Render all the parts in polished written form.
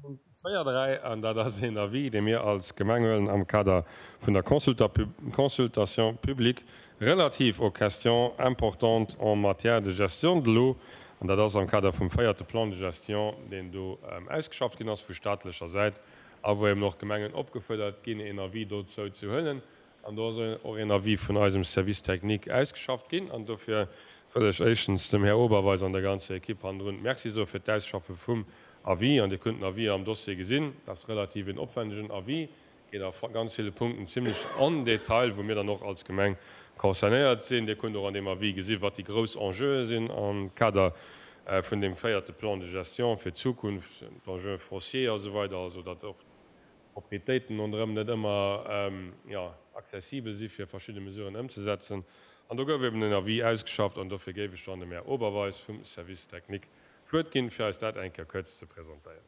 Punkt 4, 3, an dat ass een Avis, dee mir als Gemeng huelen am Kader vun der Consultation publique relative aux questions importantes en matière de gestion de l'eau, an dat ass am Kader vum véierte Plan de gestion, deen do ausgeschafft ginn ass vu staatlecher Säit a wou eben och d'Gemengen opgefuerdert ginn, een Avis dozou ze huelen. An do ass och een Avis vun eisem Service technique ausgeschafft ginn. An dofir wëll ech éischtens dem Här Oberweis an der ganzer Equipe hannendrun Merci soe fir d'Ausschaffe vum Avis. An Dir kënnt den Avis am Dossier gesinn. Dat ass relativ een opwändegen Avis, geet a ganz ville Punkten zimlech en Detail, wou mir dann och als Gemeng concernéiert sinn. Dir kënnt och an deem Avis gesi wat déi grouss Enjeue sinn am Kader vun deem véierte Plan de gestion fir d'Zukunft, d'Enjeux fonciers a sou weider, also datt och Proprietéiten ronderëm net ëmmer, jo, accessibel si fir verschidde Mesuren ëmzesetzen. An do gouf eben en Avis ausgeschafft an dofir géif ech dann dem Här Oberweis vum Service technique d'Wuert ginn, fir eis dat eng Kéier kuerz ze presentéieren.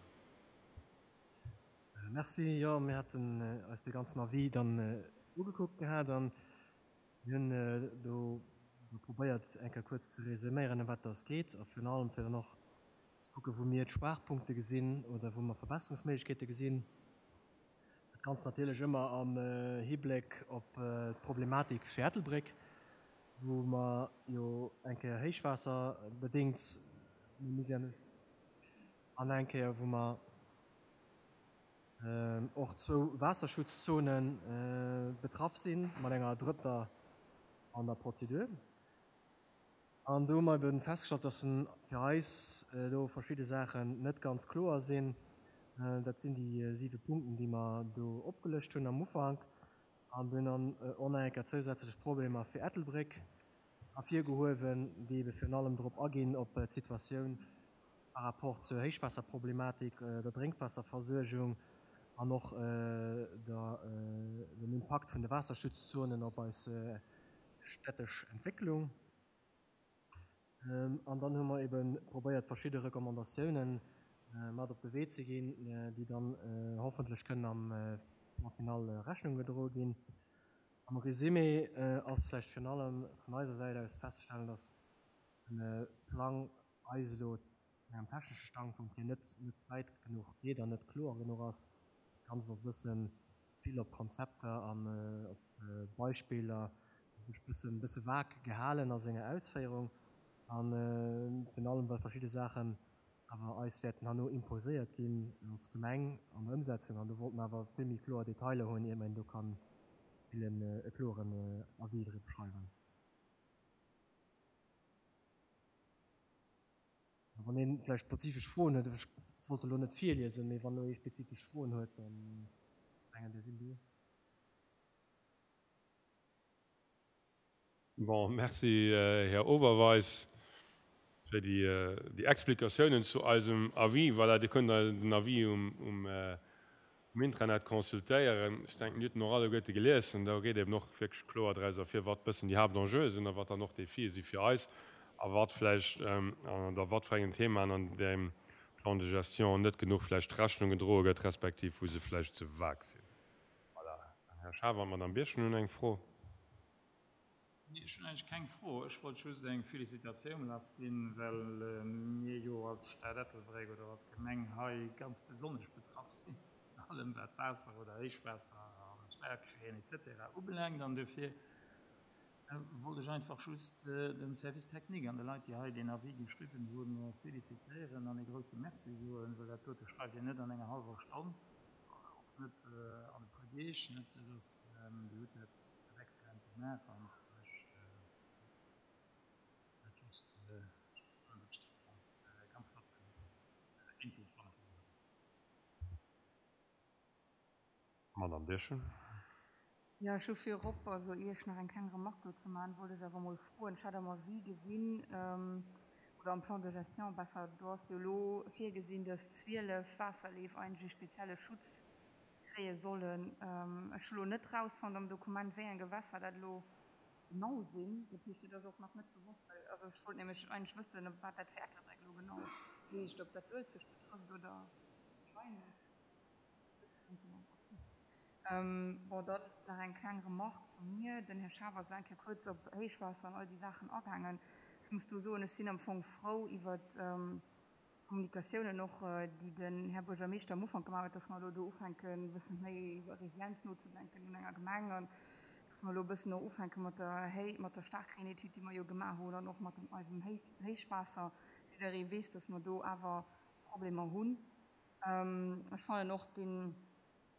Merci. Jo, mir haten eis dee ganzen Avis dann ugekuckt gehat an mir hunn do probéiert eng Kéier kuerz ze resuméieren, ëm wat dass geet a virun allem fir dann och ze kucken, wou mir d'Schwaachpunkte gesinn oder wou mer Verbesserungsméiglechkeete gesinn. Dat Ganzt natierlech ëmmer am Hibléck op d'Problematik fir Ettelbréck, wou mer jo eng Kéier héichwaasserbedéngt méi Misär hunn an eng Kéier, wou mer och zwou Waasserschutzzone betraff sinn, mat enger drëtter an der Prozedur. An do hu mer eben festgestallt, dass fir eis do verschidde Saachen net ganz kloer sinn. Dat sinn déi siwe Punkten, déi mer do opgelëscht hunn am Ufank. An do hunn dann och nach eng Kéier zousätzlech Problemer fir Ettelbréck ervirgehuewen, déi ebe virun allem drop aginn, op d'Situatioun par rapport zur Héichwaasserproblematik, der Drénkwaasserversuergung an och der, dem Impakt vun de Waasserschutzzonen op eis städtesch Entwécklung. An dann hu mer ebe probéiert, verschidde Recommandatiounen mat op de Wee ze ginn, déi dann hoffentlech kënnen am Plan final Rechnung gedroe ginn. Am Resumé ass vläicht virun allem vun eiser Säit aus festzestellen, dass de Plang eis elo vun engem technesche Standpunkt hier net net wäit genuch geet an net kloer genuch ass. Dat Ganzt ass e bësse vill op Konzepter an op Beispiller e bëssen bësse vag gehalen a senger Ausféierung an virun allem well verschidde Saachen awer eis wäerten herno imposéiert ginn als Gemeng an der Ëmsetzung an do wollte mer awer vill méi kloer Detailer hunn, ier mer do kann villen e kloeren Avis driwwer schreiwen. Wann een vläicht spezifesch Froen huet, ech wollt elo net virliesen, mee wann elo ee spezifesch Froen huet, dann ech mengen déi sinn do. Bon, merci Här Oberweis fir déi Explikatiounen zu eisem Avis. Voilà, Dir kënnt den Avis um Intranet consultéieren. Ech denken, Dir hutt en och alleguerte gelies. An do geet eben och wierklech kloer draus ervir, wat bëssen déi Haaptenjeue sinn a wat dann och d'Defie si fir eis a wat vläicht oder wat fir engen Themaen an deem Plan de gestion net genuch vläicht Rechnung gedroe gëtt, respektiv wou se vläicht ze vag sinn. Voilà. Den Här Schaaf an d'Madame Birchen hunn eng Fro. Nee, ech hunn eigentlech keng Fro. Ech wollt just eng Felicitatioun lassginn, well mir jo als Stad Ettelbréck oder als Gemeng hei ganz besonnesch betraff sinn, an allem wat Waasser oder Héichwaasser a Steierkréien et cetera ubelaangt. An dofir wollt ech einfach just dem Service technique an de Leit, déi hei deen Avis geschriwwen hunn, felicitéieren an ee grouse Merci soen, well dat dote schreift een net an enger hallwer Stonn, och net an e puer Deeg. Dat ass, Dir hutt dat Dat excellent gemaach an ech dat just just soen, dat ech dat ganz ganz flotten Input fannen vun denger Säit. Merci. Madame Birchen. Jo, ech hu virop, also ier ech nach eng kleng Remarque dozou maachen, wollt ech awer emol froen, ech hat am Avis gesinn, oder am Plan de gestion besser, do ass jo elo virgesinn, dass 12 Waasserleef eigentlech e spezielle Schutz kréie sollen. Ech hu lo net rausfonnt am Dokument, wéi eng Gewässer dat elo genau sinn. Dat heescht, et ass och nach net gewosst, well, also ech wollt nämlech eigentlech wëssen, op wat dat fir Ettelbréck elo genau heescht, ob dat d'Uelzecht betrëfft oder d'Schweine. Bon, dann nach eng kleng Remarque vu mir. Den Här Schaaf ass elo eng Kéier kuerz op Héichwaasser an all déi Saachen agaangen. Ech muss do soen, ech sinn am Fong frou iwwert. Kommunikatiounen och, déi den Här Buergermeeschter am Ufank gemaach huet, dass mer elo do ufänken, e bësse méi iwwer Resilienz nozedenken un enger Gemeng an dass mer elo e bëssen och ufänke mat der Héi, mat der Staarkreenetüd, déi mer jo gemaach hunn an och mat dem eisem Héich, Héichwaasser. Jidderee weess, dass mer do awer Problemer hunn. Ech fannen och deen,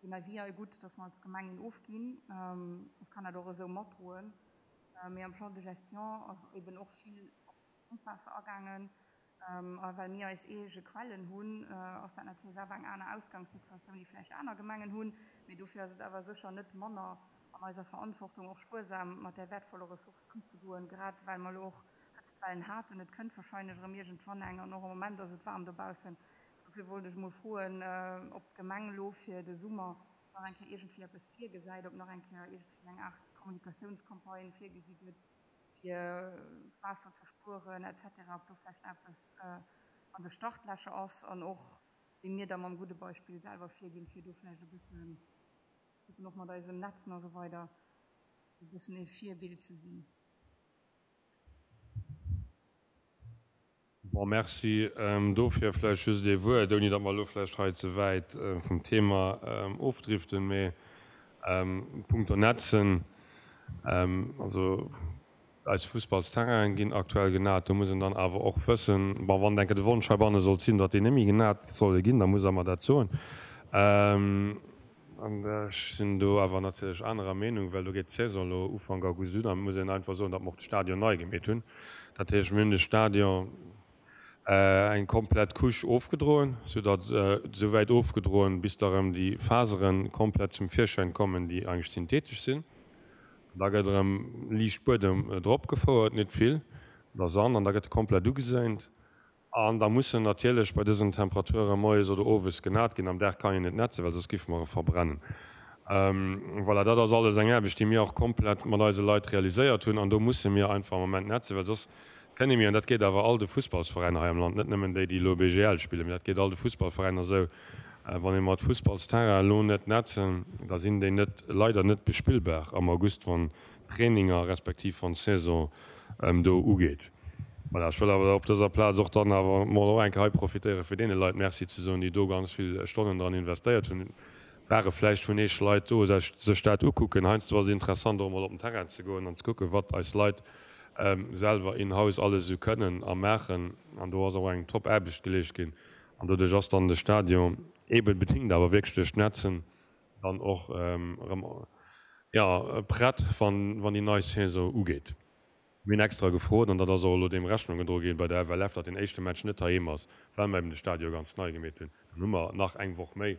deen Avis hei gutt, dass mer als Gemeng een ofginn. Ech kann dat och esou matdroen. Mee am Plan de gestion ass eben och vill op Grondwaasser agaangen. A well mir eis eege Quellen hunn, ass dat natierlech awer eng aner Ausgangssituatioun, déi vläicht aner Gemengen hunn. Mee dofir ass et awer sécher net manner an eiser Verantwortung, och spuersam mat där wäertvoller Ressource ëmzegoen, grad well mer elo och Hëtztwellen haten. Et kënnt wahrscheinlech erëm iergendwann eng an och am Moment ass et waarm dobaussen. Dofir wollt ech emol froen, ob d'Gemeng elo fir de Summer nach eng Kéier iergendwéi eppes virgesäit, ob nach eng Kéier iergendwéi eng Aart Kommunikatiounscampagne virgesi gëtt, fir Waasser ze spueren etc. Ob do vläicht nach eppes an de Startlächer ass an och wéi mir da mam gudde Beispill selwer virginn, fir do vläicht e bëssen ze kucken, och mat eisem Netzen a sou weider e bëssen ee Virbild ze sinn. Bon, merci dofir. Vläicht just ee Wuert, ouni datt mer elo vläicht hei ze wäit vum Thema ofdriften, mee punkto Netzen, also eis Fussballsterrainen ginn aktuell genat. Do muss een dann awer och wëssen, bon, wann enke de Wonsch heibanne sollt sinn, datt déi net méi genat solle ginn, da muss Der mer dat soen. An ech sinn do awer natierlech anerer Meenung, well do geet d'Saison elo Ufank August un a muss een einfach soen, datt mer och de Stadion nei gemeet hunn. Dat heescht, mir hunn de Stadion eng komplett Couche ofgedroen, soudatt esouwäit ofgedroen, bis da erëm déi Fasere komplett zum Virschäin kommen, déi eigentlech synthetesch sinn. An da gëtt erëm liicht Buedem drop gefouert, net vill, oder Sand, an da gëtt e komplett ugeséint. An da muss en natierlech bei dësen Temperature moies oder owes genat ginn. Am Dag kann een net nätzen, well soss géife mer e verbrennen. Voilà, dat ass alles eng Aarbecht, déi mir och komplett mat eise Leit realiséiert hunn. An do musse mir einfach am Moment nätzen, well soss kënne mir, an dat geet awer all de Fussballsveräiner hei am Land, net nëmmen déi, déi elo BGL spillen, mee dat geet all de Fussballveräiner esou, wann ee mat Fussballsterrainen elo net nätzen, da sinn déi net, leider net bespillbar am August, wann d'Traininger respektiv wann d'Saison do ugeet. Voilà, ech wëll awer op dëser Plaz och dann awer mol och eng Kéier hei profitéieren, fir deene Leit Merci ze soen, déi do ganz vill Stonnen dran investéiert hunn. Ware vläicht vun Eech Leit do, sech dat ukucken. Heiansdo ass et interessant, och emol op den Terrain ze goen an ze kucken, wat eis Leit selwer in-house alles esou kënnen a maachen. An do ass och eng top Aarbecht geleescht ginn. An doduerch ass dann de Stadion, eeben bedingt awer wierklech duerch d'Netzen, dann och erëm, jo, prett, wann déi nei Saison ugeet. Mir hunn extra gefrot, an dat ass och elo deem Rechnung gedroe ginn bei der FLF, datt deen éischte Match net heiheem ass, well mer eben de Stadion ganz nei gemeet hunn. Dann hu mer nach eng Woch méi,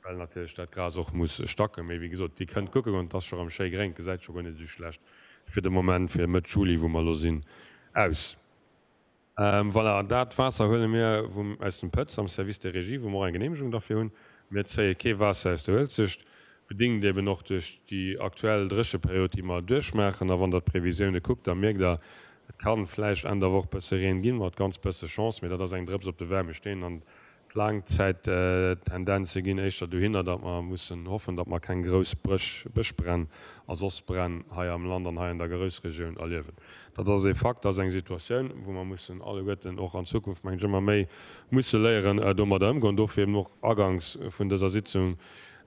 well natierlech dat Gras och muss stacken. Mee wéi gesot, Dir kënnt kucke goen, et ass scho erëm schéi gréng, et gesäit scho guer net esou schlecht fir de Moment, fir Mëtt Juli, wou mer elo sinn, aus. Voilà, dat Waasser huele mir vum, aus dem Pëtz am Service des Régies, wou mer och eng Genehmegung derfir hunn. Mir zéie kee Waasser aus der Uelzecht, bedingt eben och duerch déi aktuell Drécheperiod, déi mer duerchmaachen. A wann Der d'Previsioune kuckt, da mierkt Der, et ka vläicht Enn der Woch bësse Reen ginn, mat ganz bësse Chance, mee dat ass eng Drëps op de waarme Steen. An D'Laangzäittendenze ginn éischter dohinner, datt mer mussen hoffen, datt mer keng grouss Bëschbränn a soss Bränn hei am Land an hei an der Groussregioun erliewen. Dat ass ee Fakt, dat ass eng Situatioun, wou mer mussen alleguerten och an Zukunft, mengen ech, ëmmer méi musse léieren, domadder ëmgoen. Dofir eben och aganks vun dëser Sitzung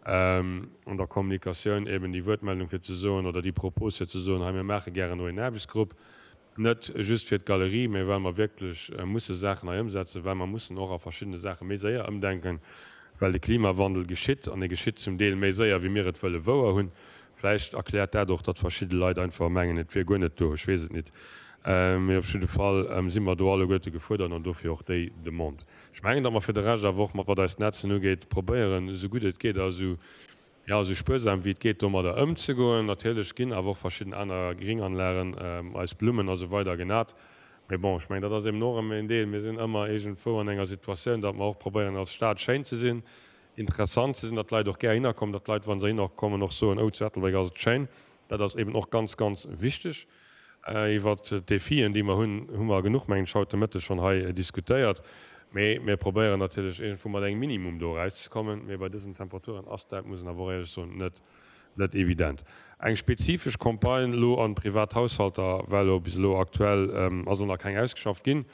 an der Kommunikatioun eben déi Wuertmeldung fir ze soen oder déi Propos fir ze soen, hei mir maache gären elo een Aarbechtsgrupp, Net just fir d'Galerie, mä well mer wierklech musse Saachen hei ëmsetzen, well mer mussen och a verschiddene Saache méi séier ëmdenken, well de Klimawandel geschitt an e geschitt zum Deel méi séier, wéi mir et wëlle wouer hunn. Vläicht erkläert dat och, datt verschidde Leit einfach mengen, et wier guer net do. Ech weess et nit. Mee op jidde Fall si mer do alleguerte gefuerdert an dofir och déi Demande. Ech mengen, datt mer fir de Rescht awer och, mat wat eis d'Netzen ugeet, probéieren, esou gutt et geet a esou jo, esou spuersam wéi et geet domadder ëmzegoen. Natierlech ginn awer och verschidden aner Gringanlagen, eis Blummen a sou weider genat. Mee bon, ech mengen, dat ass eben och erëm en Deel. Mir sinn ëmmer iergendwou an enger Situatioun, datt mer och probéieren als Stad schéin ze sinn, interessant ze sinn, datt d'Leit och gär hinner kommen, datt d'Leit, wa se hinner kommen, och soen, oh, zu Ettelbréck ass et schéin. Dat ass eben och ganz, ganz wichteg. Iwwert d'Defien, déi mer hunn, hu mer genuch, mengen ech, haut de Mëtteg schonn hei diskutéiert. Mee mir probéieren natierlech iergendwou mat engem Minimum do erauszekommen. Mee bei dësen Temperaturen ass dat, muss een awer och éierlech soen, net, net evident. Eng spezifesch Campagne elo an privat Haushalter war elo bis elo aktuell, ass elo nach keng ausgeschafft ginn.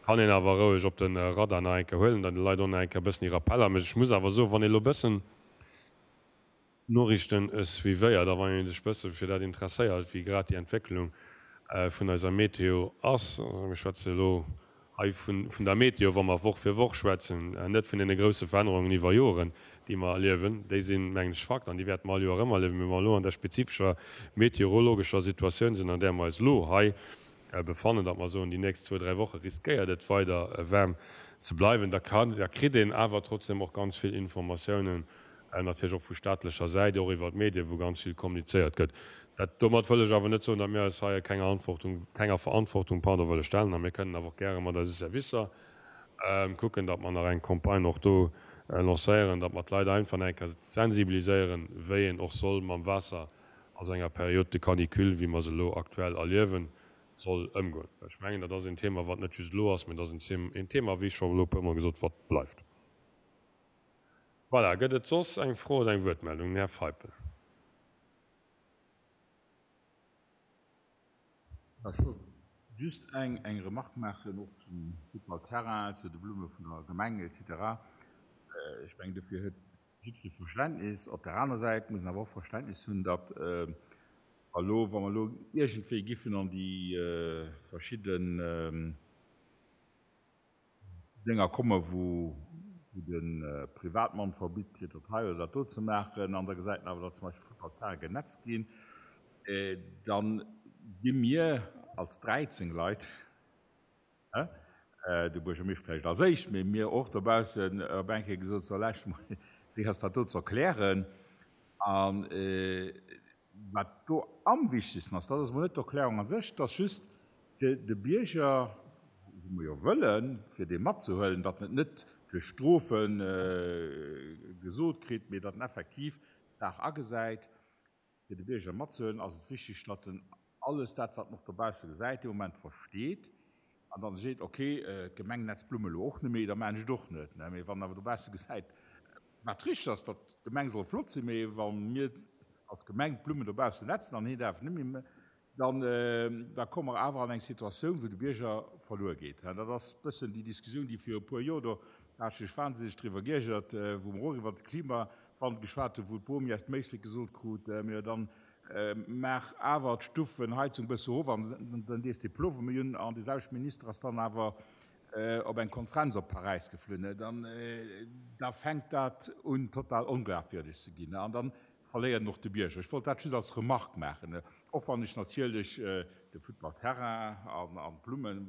Kann een awer roueg op de Radar nach eng Kéier huelen, dann de Leit och nach eng Kéier e bëssen déi Rappeller mécht. Ech muss awer soen, wann ee elo e bëssen d'Noriichten suivéiert a wann ee sech e bësse fir dat interesséiert, wéi grad déi Entwécklung vun eiser Meteo ass, also mir schwätze elo hei vun der Meteo, wa mer Woch fir Woch schwätzen, net vun deene grousse Verännerungen iwwer Joren, déi mer erliewen, déi sinn, mengen ech, Fakt an déi wäerte mer all Joer erëm erliewen, mee wa mer elo an där spezifescher meteorologescher Situatioun sinn, an där mer eis elo hei befannen, datt mer soen, déi nächst zwou, dräi Woche riskéiert et weider waarm ze bleiwen, da kann, da kritt een awer trotzdem och ganz vill Informatiounen, natierlech och vu staatlecher Säit, och iwwer d'Medien, wou ganz vill kommunizéiert gëtt. Dat, domat wëll ech awer net soen, datt mir eis hei kenger Antwortung, kenger Verantwortung, pardon, wëlle stellen. A mir kënnen awer och gäre mat eise Servicer kucken, datt mer nach eng Campagne och do lancéieren, datt mer d'Leit einfach nach eng Kéier sensibiliséieren, wéi een och soll mam Waasser a sou enger Période de canicule, wéi mer se elo aktuell erliewen, soll ëmgoen. Well ech mengen, dat ass een Thema, wat net just elo ass, mä dat ass een Thema, wéi scho elo e puermol gesot, wat bleift. Voilà, gëtt et soss eng Fro oder eng Wuertmeldung? Den Här Feipel. Ech wollt just eng Remarque maachen, och zum Futtballterrain, zu de Blumme vun der Gemeng et cetera. Ech mengen, dofir huet jiddweree Verständnis. Op där aner Säit muss een awer och Verständnis hunn, datt wa elo, wa mer elo iergendwéi giffen an déi verschidden Dénger komme wou de Privatmann verbitt kritt, dat hei oder dat do ze maachen, an da gesäit en awer, datt zum Beispill Futtballsterraine genetzt ginn, da gi mir als 13 Leit, de Buergermeeschter vläicht als éischt, mee mir och dobaussen op eng Kéier gesot, so lauscht mol, wéi ass dat do ze erklären? A wat do am wichtegsten ass, dat ass emol net d'Erklärung a sech, dat ass just fir de Bierger, wou mer jo wëllen, fir dee matzehuelen, datt en et net duerch Strofe gesot kritt, mee datt en effektiv d'Saach agesäit. Fir de Bierger matzehuelen, ass et wichteg, datt en alles dat, wat en och dobausse gesäit, dee Moment versteet an dann seet, okay, d'Gemeng netzt d'Blumme elo och net méi, da maachen ech et och net. Mee wann en awer dobausse gesäit, wat richteg ass, datt d'Gemeng soll flott sinn, mee wa mir als Gemeng d'Blummen dobaussen netzen an hien däerf net méi, dann da komme mer awer an eng Situatioun, wou de Bierger verluer geet. Dat ass e bëssen déi Diskussioun, déi viru e puer Joer, do hat ech mech wahnsinneg driwwer geiergert, wou mer och iwwert de Klimawandel geschwat hunn, wou d'Bomi aus dem Éislek gesot krut, Mir dann maach awer d'Stuffenheizung e bësse erof an dann dees de Plowe méi un. An dee selwechte Minister ass dann awer op eng Konferenz op Paräis geflunn. Dann da fänkt dat un total onglafwierdeg ze ginn an dann verléiert en och de Bierger. Ech wollt dat just als Remarque maachen, och wann ech natierlech de Futtballterrain an d'Blummen,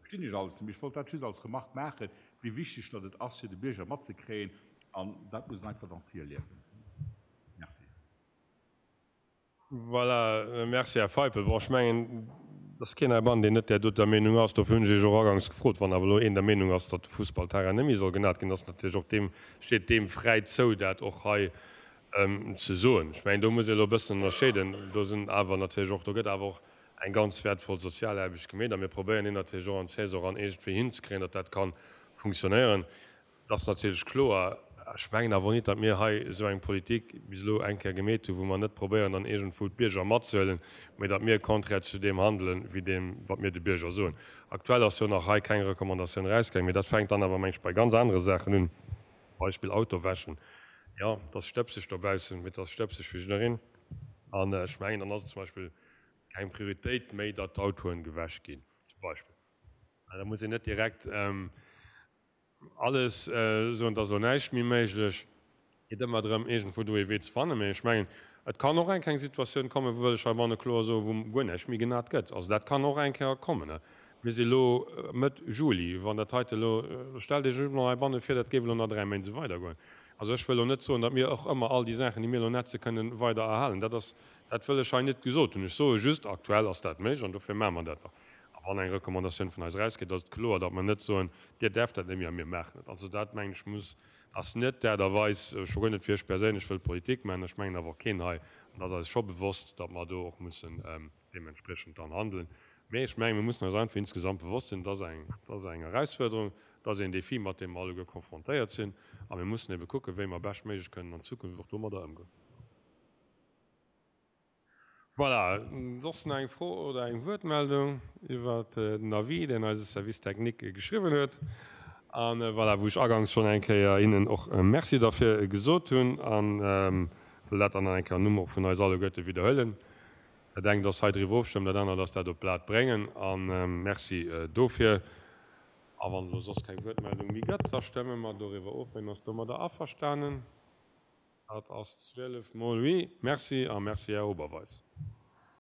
verstinn ech alles, mee ech wollt dat just als Remarque maachen, wéi wichteg datt et ass fir de Bierger matzekréien an dat muss en einfach dann virliewen. Merci. Voilà, merci Här Feipel. Bon, ech mengen, et ass keen heibannen, deen net där doter Meenung ass. Dofir hunn ech Iech och agangs gefrot. Wann awer elo een der Meenung ass, datt de Fussballterrain net méi soll genat ginn, ass natierlech och deem, steet deem fräi zou, dat och hei ze soen. Ech mengen, do muss ee elo e bëssen ënnerscheeden. Do sinn awer natierlech och, do gëtt awer och eng ganz wäertvoll Sozialaarbecht gemeet a mir probéieren déi natierlech och an d'Saison eran iergendwéi hinzekréien, datt dat ka funktionéieren. Et ass natierlech kloer, ech mengen awer och nit, datt mir hei esou eng Politik bis elo eng Kéier gemeet hunn, wou mer net probéieren, dann iergendwou d'Bierger matzehuelen, mä datt mir contraire zu deem handelen, wéi deem, wat mir de Bierger soen. Aktuell ass jo nach hei keng Recommandatioun erausgaangen, mä dat fänkt dann awer, meng ech, bei ganz anere Saachen un, Beispill Auto wäschen. Jo, et ass stëbseg dobaussen, mä et ass stëbseg fir jiddereen. An ech mengen, dann ass et zum Beispill keng Prioritéit méi, datt d'Autoen gewäsch ginn, zum Beispill. Da muss een net direkt alles soen, et ass elo näischt méi méiglech. Et geet ëmmer drëm, iergendwou do ee Wee ze fannen. Mee ech mengen, et kann och eng Kéier eng Situatioun kommen, wou wëll ech heibanne kloer soen, wou guer näischt méi genat gëtt. Also dat kann och eng Kéier kommen. Mir si elo Mëtt Juli. Wann dat heite elo, stellt Iech elo heibanne vir, dat géif elo nach 3 Méint esou weidergoen. Also ech wëll elo net soen, datt mir och ëmmer all déi Saachen, déi mir elo netze kënnen, weider erhalen. Dat ass, dat wëll ech hei net gesot hunn. Ech soe just, aktuell ass dat méiglech an dofir maache mer dat och. A wann eng Recommandatioun vun eis erausgeet, ass et kloer, datt mer net soen, Dir däerft dat net méi a mir maachen et. Also dat, mengen ech, muss, ass net d'Aart a Weis, scho guer net fir ech perséinlech wëll Politik maachen, ech mengen awer och keen hei, an dat ass eis scho bewosst, datt mer do och mussen deementspriechend dann handeln. Mee ech mengen, mir mussen eis einfach insgesamt bewosst sinn, et ass eng, et ass eng Erausfuerderung, et ass een Défi, mat deem mer alleguer konfrontéiert sinn, a mir mussen ebe kucken, wéi mer beschtméiglech kënnen an Zukunft och domadder ëmgoen. Voilà, soss nach eng Fro oder eng Wuertmeldung iwwert den Avis, deen eise Service technique geschriwwen huet? A voilà, wou ech aganks schonn eng Kéier hinnen och Merci derfir gesot hunn a wëll dat dann nach eng Kéier am Numm och vun eis alleguerte widderhuelen. Dat engt ass hei driwwer ofstëmmen, dat anert ass dat op d'Blat bréngen. A Merci dofir. A wann elo soss keng Wuertmeldung méi gëtt, da stëmme mer doriwwer of. Wien ass domadder averstanen? Dat ass 12 mol oui. Merci a merci, Här Oberweis.